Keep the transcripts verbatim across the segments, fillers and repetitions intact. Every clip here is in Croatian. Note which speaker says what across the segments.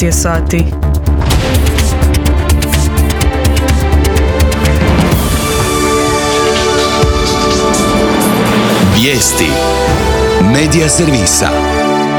Speaker 1: šest je sati.
Speaker 2: Vijesti Medija servisa.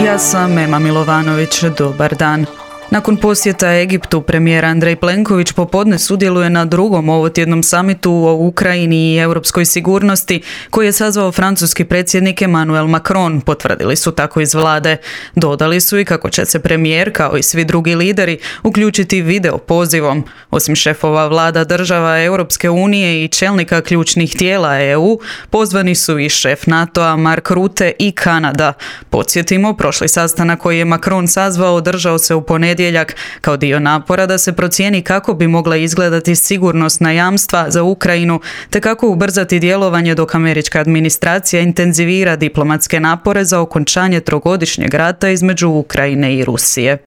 Speaker 1: Ja sam Ema Milovanović, dobar dan. Nakon posjeta Egiptu, premijer Andrej Plenković popodne sudjeluje na drugom ovotjednom samitu o Ukrajini i europskoj sigurnosti koji je sazvao francuski predsjednik Emmanuel Macron, potvrdili su tako iz vlade. Dodali su i kako će se premijer, kao i svi drugi lideri, uključiti video pozivom. Osim šefova vlada država Europske unije i čelnika ključnih tijela E U, pozvani su i šef NATO-a Mark Rutte i Kanada. Podsjetimo, prošli sastanak koji je Macron sazvao održao se u ponedjeljak kao dio napora da se procijeni kako bi mogla izgledati sigurnosna jamstva za Ukrajinu te kako ubrzati djelovanje dok američka administracija intenzivira diplomatske napore za okončanje trogodišnjeg rata između Ukrajine i Rusije.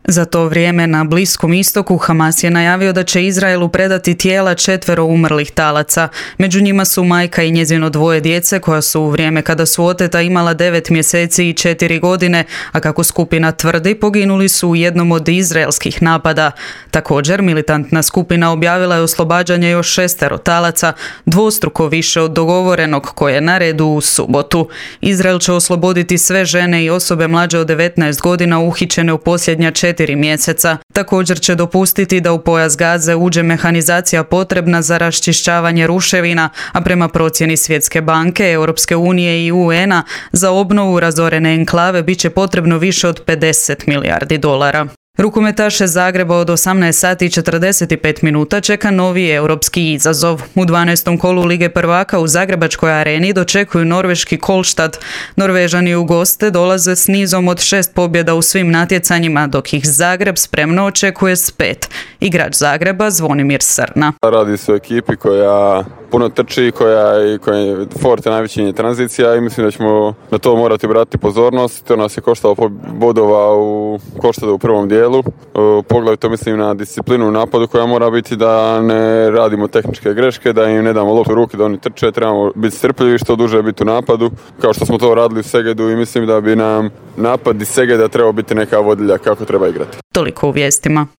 Speaker 1: Za to vrijeme na Bliskom istoku Hamas je najavio da će Izraelu predati tijela četvero umrlih talaca. Među njima su majka i njezino dvoje djece koja su u vrijeme kada su oteta imala devet mjeseci i četiri godine, a kako skupina tvrdi poginuli su u jednom od izraelskih napada. Također, militantna skupina objavila je oslobađanje još šestero talaca, dvostruko više od dogovorenog koje je na redu u subotu. Izrael će osloboditi sve žene i osobe mlađe od devetnaest godina uhićene u posljednja četiri mjeseca. Također će dopustiti da u pojas Gaze uđe mehanizacija potrebna za raščišćavanje ruševina, a prema procjeni Svjetske banke, Europske unije i U N-a za obnovu razorene enklave bit će potrebno više od pedeset milijardi dolara. Rukometaše Zagreba od osamnaest sati i četrdeset pet minuta čeka novi europski izazov. U dvanaestom kolu Lige prvaka u Zagrebačkoj areni dočekuju norveški Kolstad. Norvežani u goste dolaze s nizom od šest pobjeda u svim natjecanjima, dok ih Zagreb spremno očekuje s pet. Igrač Zagreba Zvonimir Srna.
Speaker 3: Radi se o ekipi koja puno trči, koja, koja je forte najveći tranzicija i mislim da ćemo na to morati obratiti pozornost. To nas je koštalo bodova u Kolstadu u prvom dijelu. Poglavito mislim na disciplinu u napadu koja mora biti da ne radimo tehničke greške, da im ne damo loptu u ruke, da oni trče, trebamo biti strpljivi, što duže biti u napadu, kao što smo to radili u Segedu i mislim da bi nam napad iz Segeda trebao biti neka vodilja kako treba igrati.
Speaker 1: Toliko u vijestima.